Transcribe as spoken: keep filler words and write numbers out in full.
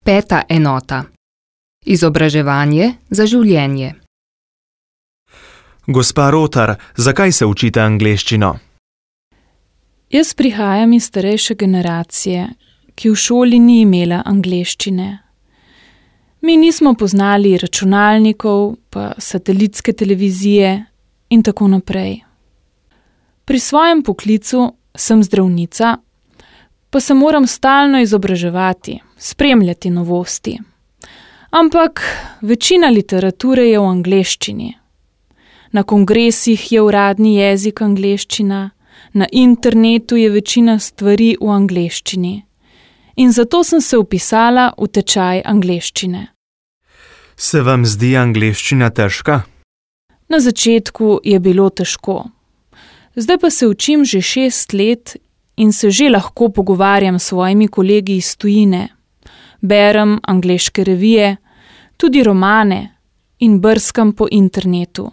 Peta enota. Izobraževanje za življenje. Gospa Rotar, zakaj se učite angleščino? Jaz prihajam iz starejše generacije, ki v šoli ni imela angleščine. Mi nismo poznali računalnikov, pa satelitske televizije in tako naprej. Pri svojem poklicu sem zdravnica, pa se moram stalno izobraževati, spremljati novosti. Ampak večina literature je v angleščini. Na kongresih je uradni jezik angleščina, na internetu je večina stvari v angleščini. In zato sem se vpisala v tečaj angleščine. Se vam zdi angleščina težka? Na začetku je bilo težko. Zdaj pa se učim že šest let in se že lahko pogovarjam s svojimi kolegi iz tujine. Berem angleške revije, tudi romane in brskam po internetu.